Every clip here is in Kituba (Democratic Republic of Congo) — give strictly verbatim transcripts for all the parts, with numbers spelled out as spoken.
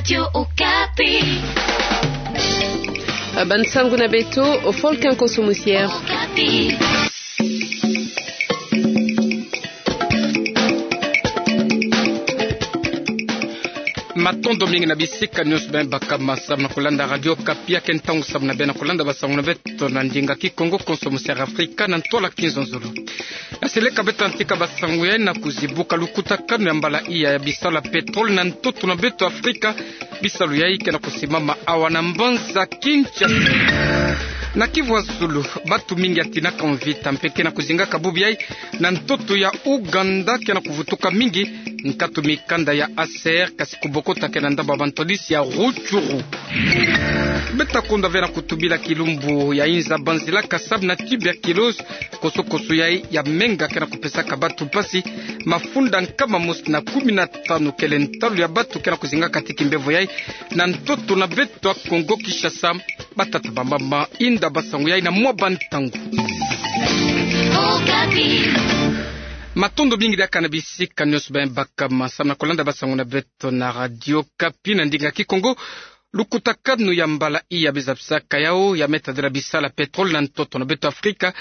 Radio Okapi. Ba nsangu na beto, Volcan Konso Musière. Okapi. Matondo mingi na bisika nyonso beno bakama samu na kulanda Radio Okapi. Ya ke ntangu samu na beno kulanda basangu na beto na ndinga Kikongo, Konso Musière Afrika, na ntwala kizololo. Ya seleka beto na tika basangu yai na kuzibuka lukutakanu ya mbala iya ya bisalu ya pétrole na ntoto na beto Afrika. Bisalu yai ke na kusimama awa na mbanza Kinshasa. Na Kivu ya Zulu, bantu mingi ya tinaka mvita mpe ke na kuzingaka bubu yai na ntoto ya Ouganda ke na kuvutuka mingi. Nkatu mikanda ya ACR kasi kubokota ke na ndambu ya bantwadisi ya Rutshuru. Beto ta konda ve na kutubila kilumbu ya inza banzilaka samu na tuberculose, kosokoso yai ya menga ke na kupesaka bantu mpasi. Mafunda nkama mosi na kumi na tanu kele ntalu ya bantu ke na kuzingaka ti kimbevo yai na ntoto na beto ya Kongo Kinshasa. Batata, bamama, inda basangu yai na mwa bantangu. Okapi. Matondo mingi diaka na bisika nyonso beno bakama samu na kulanda basangu na beto na Radio Okapi na ndinga Kikongo. Lukutakanu ya mbala iya beno zabisaka yau ya me tadila bisalu ya pétrole na ntoto na beto Afrika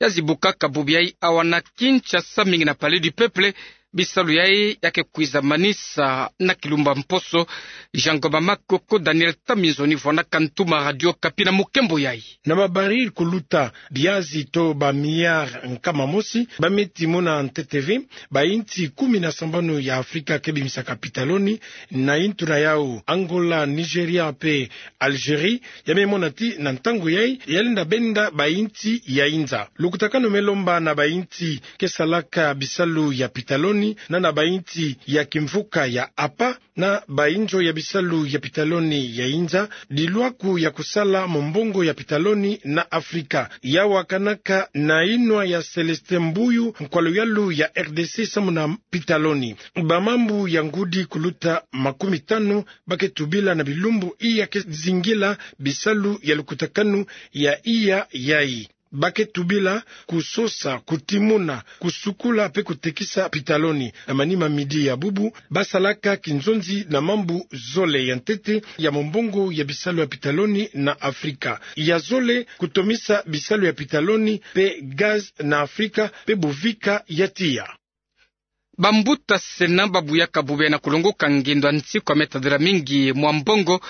ya zibukaka bubu yai awa na Kinshasa, mingi na Palais du Peuple. Bisalu yai ya ke kwiza manisa na kilumbu ya mposo. Jean Ngoma Makoko, Daniel Taminzoni vwanaka ntuma Radio Okapi na mukembo yai. Na ba baril kuluta biazi to ba milliard nkama mosi ba me timona ntete ve ba insi kumi na sambanu ya Afrika ke bimisaka pitaloni. Na intu na yau, Angola, Nigeria mpe Algérie ya me mona ti na ntangu yai ya lenda benda ba insi ya inza. Lukutakanu me lomba na ba insi ke salaka bisalu ya pitaloni na na ba insi ya kimvuka ya apa na ba inzo ya bisalu ya pitaloni ya inza, dilwaku ya kusala mombongo ya pitaloni na Afrika. Yau akanaka na inwa ya Célestin Mbuyu, nkwa luyalu ya R D C samu na pitaloni. Ba mambu ya ngudi kuluta makumi tanu ba ke tubila na bilumbu iya ke zingila bisalu ya lukutakanu ya iya yai. Ba ke tubila kusosa, kutimuna, kusukula mpe kutekisa pitaloni. Na manima midi ya bubu, ba salaka kinzonzi na mambu zole ya ntete ya mombongo ya bisalu ya pitaloni na Afrika. Ya zole, kutomisa bisalu ya pitaloni mpe gaz na Afrika mpe bovika ya tiya. Bambuta Sénat ba buyaka bubu yai na kulongoka ngindo ya nsiku ya me tadila mingi mwa mbongo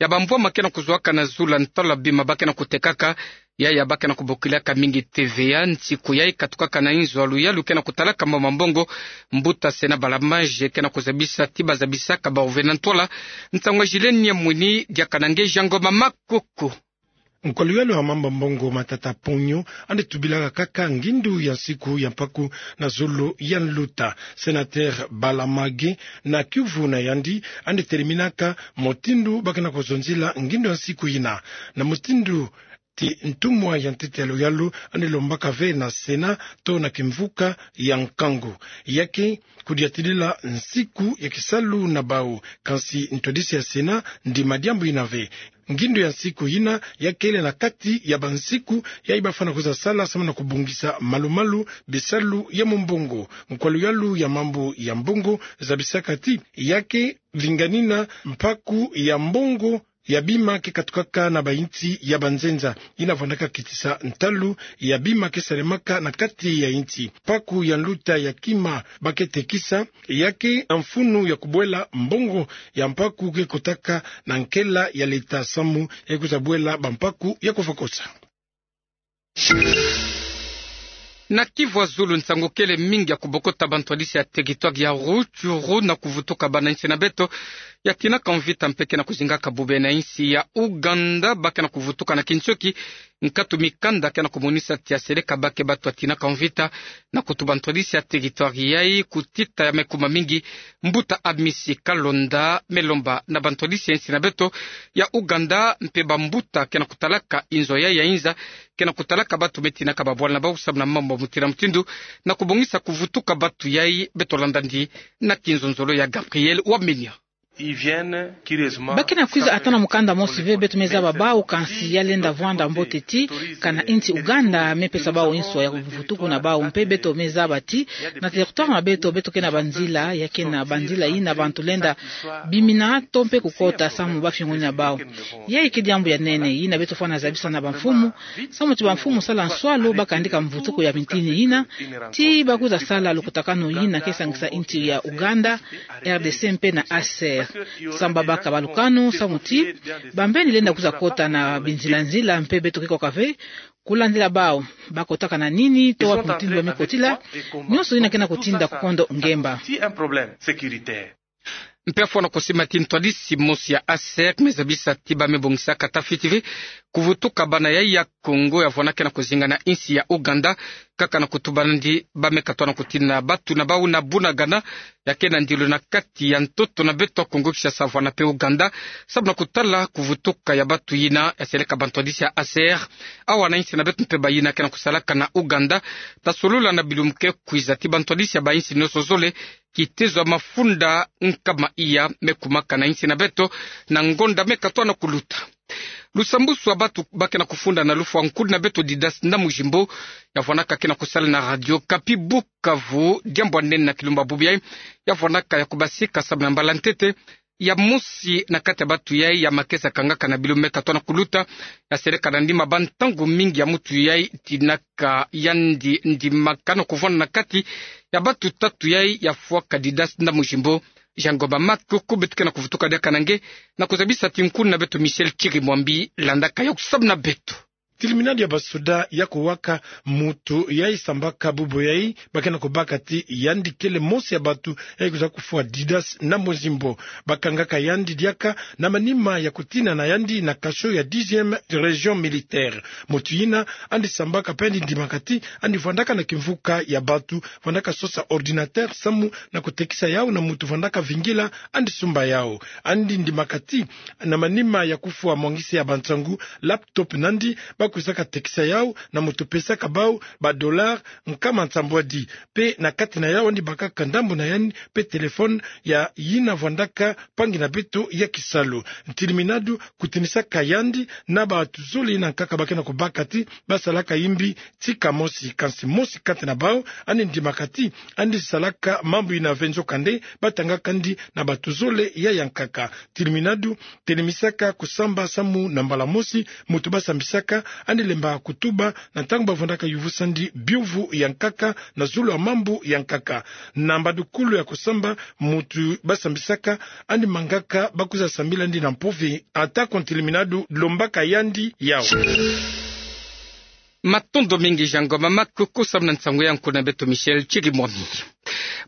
ya bambwama ke na kuzwaka na zulu ya ntalu ya bima ba ke na kutekaka. Yaya ba ke na kubokilaka mingi T V A. Nsiku yai katukaka na inzo ya luyalu ke na kutalaka mambu ma mbongo, mbuta Sénat Balamage ke na kuzabisa ti ba zabisaka bawu ve na ntwala. Nsangu ya Gilles Niamwini, diaka na nge Jean Ngoma Makoko. Nkwa luyalu ya mambu ma mbongo, Matata Ponyo, ande tubilaka kaka ngindu ya nsiku ya mpaku na zulu ya nluta. Sénateur Balamage, na kiuvu na yandi, ande teliminaka mutindu ba ke na kuzonzila ngindu ya nsiku yina. Na mutindu ti ntumwa ya ntete ya luyalu, ande lombaka ve na Sénat to na kimvuka ya nkangu. Ya ke kudiatidila nsiku ya kisalu na bawu, kansi ntwadisi ya Sénat ndima diambu yina ve. Ngindu ya nsiku yina ya kele na kati ya bansiku yayi ba fwana kwiza sala samu na kubongisa malu-malu bisalu ya mombongo. Nkwa luyalu ya mambu ya mbongo zabisaka ti ya ke vinganina mpaku ya mbongo ya bima ke katukaka na bainsi ya banzenza. Yina vwandaka kitisa ntalu ya bima ke salemaka na kati ya insi. Mpaku ya nluta ya kima ba ke tekisa ya ke na mfunu ya kubwela mbongo ya mpaku ke kotaka na nkela ya leta samu ya kwiza bwela bampaku ya kufwakosa. Na Kivu ya zulu, nsangu kele mingi ya kubokota bantwadisi ya territoire ya Rutshuru na kuvutuka bana insi na beto ya tinaka mvita mpe ke na kuzingaka bubu yai na insi ya Ouganda, ba ke na kuvutuka na kinsioki nkatu mikanda ke na kumonisa ti ya seleka ba ke bato ya tinaka mvita na kutuba ntwadisi ya territoire yayi. Kutita ya me kuma mingi, mbuta Amisi Kalonda me lomba na bantwadisi ya insi na beto ya Ouganda mpe bambuta ke na kutalaka inzo yayi ya inza, ke na kutalaka bato me tinaka babwala na bawu samu na mambu mutindu na mutindu, na kubongisa kuvutuka bato yayi. Beto landa ndi na kinzonzolo ya Gabriel Wamenya. Ba ke na kwiza ata na mukanda mosi ve, beto me zaba bau, kansi ya lenda vwanda mbote ti, kana insi Uganda me pesa bau inswa ya mvutuku na bau, mpe beto me zaba ti, na territoire na beto, beto ke na banzila, ya ke na banzila yina bantu lenda bimina to mpe kukota samu ba fiongonia bau. Yayi ke diambu ya nene yina beto fwana zabisa na bamfumu, samu ti bamfumu sala nswalu ba kandika mvutuku ya mitini yina, ti ba kwiza sala lukutakanu yina ke sangisa insi ya Uganda, R D C mpe na A C R. Samu ba baka balukanu, samu ti bambeni lenda kwiza kota na binzila-nzila, mpe beto ke koka ve kulandila bau, ba kotaka na nini, to wapi mutindu ba me kotila, nionso yina ke na kutinda kukondo ngemba. Mpe afwana kusima ti ntwadisi mosi ya A C R me zabisa ti ba me bongisaka tafiti ve kuvutuka bana yayi ya Kongo ya vwana ke na kuzinga na insi ya Uganda, kaka na kutuba nandi ba me katoa na kutina batu na bau na Bunagana, ya ke na ndilu na kati ya ntoto na beto Kongo Kinshasa vwana mpe Uganda, samu na kutala kuvutuka ya batu yina ya seleka bantwadisi ya A C R awa na insi na beto mpe bayina ke na kusalaka na Uganda, ta solula na bilumbu ke kwiza ti bantwadisi ya bainsi nionso zole, kitezo ya mafunda nkama iya me kumaka na insi na beto na ngonda me katoa na kuluta. Lusambusu ya batu ba ke na kufunda na lufwa nkulu na beto Didas Ndamujimbo, ya vwanaka ke na kusala na Radio Okapi Bukavu, diambu ya nene na kilumbu ya bubu yayi, ya vwanaka ya kubasika samu na mbala ntete ya mosi na kati ya batu yayi ya makesa kangaka na bilumbu me katoa na kuluta, ya seleka na ndima ba ntangu mingi ya mutu yayi tinaka yandi ndimakana kuvwanda na kati ya batu tatu yayi ya fwaka Didas Ndamujimbo. Jean Ngoma Makoko, beto ke na kuvutuka diaka na nge, na kuzabisa ti nkulu na beto Michel Kirimwambi landaka yo kusamu na beto. Tiliminadi ya basoda ya kuwaka mutu yayi sambaka bubu yayi, ba ke na kubaka ti yandi kele mosi ya batu yayi kwiza kufwa Didas Ndamujimbo. Ba kangaka yandi diaka na manima ya kutina na yandi na cachot ya dixième région militaire. Mutu yina yandi sambaka mpe yandi ndimaka ti yandi vwandaka na kimvuka ya batu, vwandaka sosa ordinateur samu na kutekisa yau na mutu vwandaka vingila yandi sumba yau. Yandi ndimaka ti na manima ya kufwa mwangisi ya bansangu, laptop na yandi, ba kwizaka tekisa yau na mutu pesaka bau ba dollars nkama nsambwadi. Mpe na kati na yau yandi bakaka ndambu na yandi mpe téléphone ya yina vwandaka mpangi na beto ya kisalu. Tiliminadi kutinisaka yandi na batu zole yina nkaka ba ke na kubaka ti ba salaka yimbi tika mosi, kansi mosi kati na bau yandi ndimaka ti yandi salaka mambu yina ve, nzokande ba tangaka yandi na batu zole ya yankaka. Tiliminadi telimisaka kusamba samu na mbala mosi mutu ba sambisaka yandi lemba kutuba na ntangu ba vwandaka yuvusa yandi biyuvu ya nkaka na zulu ya mambu ya nkaka. Na mbadukulu ya kusamba mutu ba sambisaka yandi mangaka ba kwiza sambila yandi na mpuvi, ata ko tiliminadi lombaka yandi yau. Matondo mingi Jean Ngoma Makoko samu na nsangu ya nkulu na beto Michel Kirimwambi.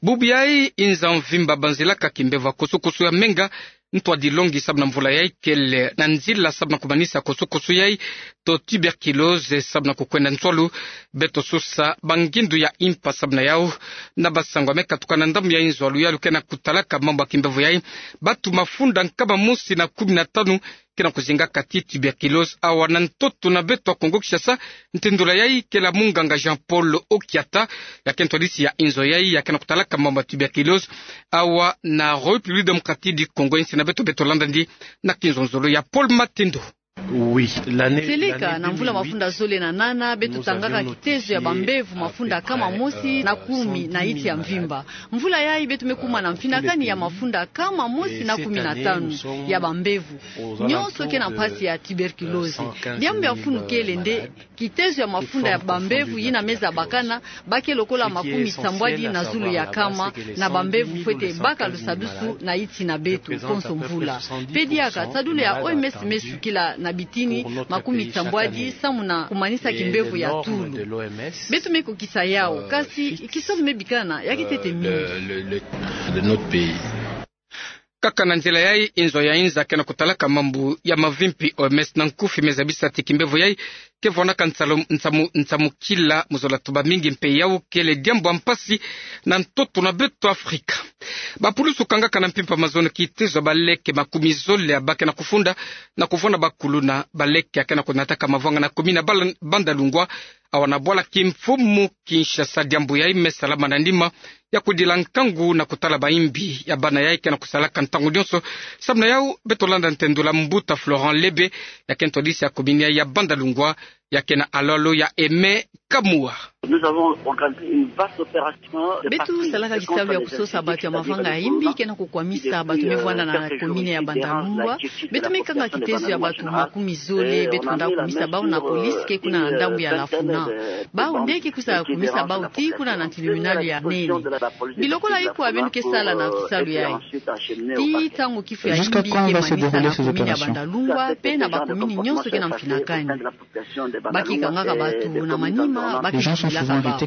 Bubu yayi inza mvimba banzilaka kimbevo ya kosokoso ya menga, ntwadi longi samu na mvula yayi kele na nzila samu na kumanisa kosokoso yayi to tuberculose samu na kukwenda nswalu. Beto sosa bangindu ya impa samu na yau. Na basango ya me katuka na ndambu ya inzo ya luyalu ke na kutalaka mambu ya kimbevo yayi, batu mafunda nkama mosi na kumi na tanu ke na kuzingaka ti tuberculose awa na ntoto na beto ya Kongo Kinshasa. Ntindula yayi kele ya munganga Jean Paul Okiata, ya ke ntwadisi ya inzo yayi ya ke na kutalaka mambu ya tuberculose awa na République Démocratique du Congo, insi na beto. Beto landa yandi na kinzonzolo ya Paul Matendo. Seleka na mvula mafunda zole na nana, beto tangaka kitezo ya bambevo mafunda kama mosi na kumi na yinti ya mvimba. Mvula yayi beto me kuma na mfinakani ya mafunda kama mosi na kumi na tanu ya bambevo. Nionso ke na mpasi ya tuberculose. Diambu ya mfunu kele nde kitezo ya mafunda ya bambevo yina me zabakana, ba ke lokola makumi nsambwadi na zulu ya kama na bambevo fwete baka lusadusu na yinti na beto konso mvula. Mpe diaka sadulu ya O M S me sukila na bitini makumi nsambwadi samu na kumanisa kimbevo ya tulu. Beto me kokisa yau, kasi kisalu me bikana ya kitete mingi. Kaka na nzila yayi, inzo ya inza ke na kutalaka mambu ya mavimpi O M S na nkufi me zabisa ti kimbevo yayi ke vonaka nsamu, nsamukila mu zola tuba mingi, mpe yau kele diambu ya mpasi na ntoto na beto Afrika. Bapulusu kangaka na mpimpa mazono kitezo ya baleke makumi zole ya ba ke na kufunda na kuvona bakuluna. Baleke ya ke na kunataka mavanga na commune ya Bala-, Bandalungwa Awa na bwala ki mfumu Kinshasa, diambu yayi me salama na nima ya kudila nkangu na kutala bayimbi ya bana yayi ke na kusalaka ntangu nionso. Samu na yawu, beto landa ntendula mbuta Florent Lebe, ya ke ntwadisi ya commune ya Bandalungwa, ya ke na alolo ya Aimé Kamua. Beto salaka kisalu ya kusosa bato ya mavanga ya imbi ke na kukwamisa bato me vwanda na commune ya Bandalungwa. Beto me kanga kitezo ya bato makumi zole beto nda kumisa bawu na police ke kuna na ndambu ya Lafuna. Bawu nde ke kwiza kumisa bawu tii kuna na tribunal ya nene. Bilokolo ikwa beno ke sala na kisalu yayi? Tii ntangu kifu ya imbi ke manisa na commune ya Bandalungwa pe na ba commune nionso ke na mfinakani. Ba ke kangaka bato na manima, ba ke kidilaka bawu.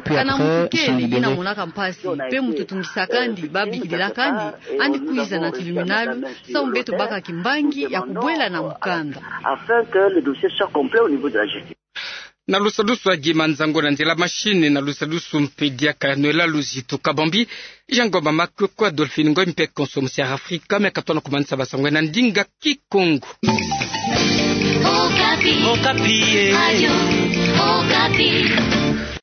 Kana mutu kele yina monaka mpasi pe mutu tungisaka andi, ba bikidilaka andi, andi kwiza na tribunal, samu beto baka kimbangi ya kubwela na mukanda. Na lusadusu ya Guy Manzango, na nzila machine na lusadusu mpe diaka Noëlla Luzitu Kabambi, Jean Ngoma Makoko, Adolphine Ngoy mpe konso musi ya Afrika me katona kumanisa basango na ndinga Kikongo. Okapi. Okapi, eh. Radio Okapi.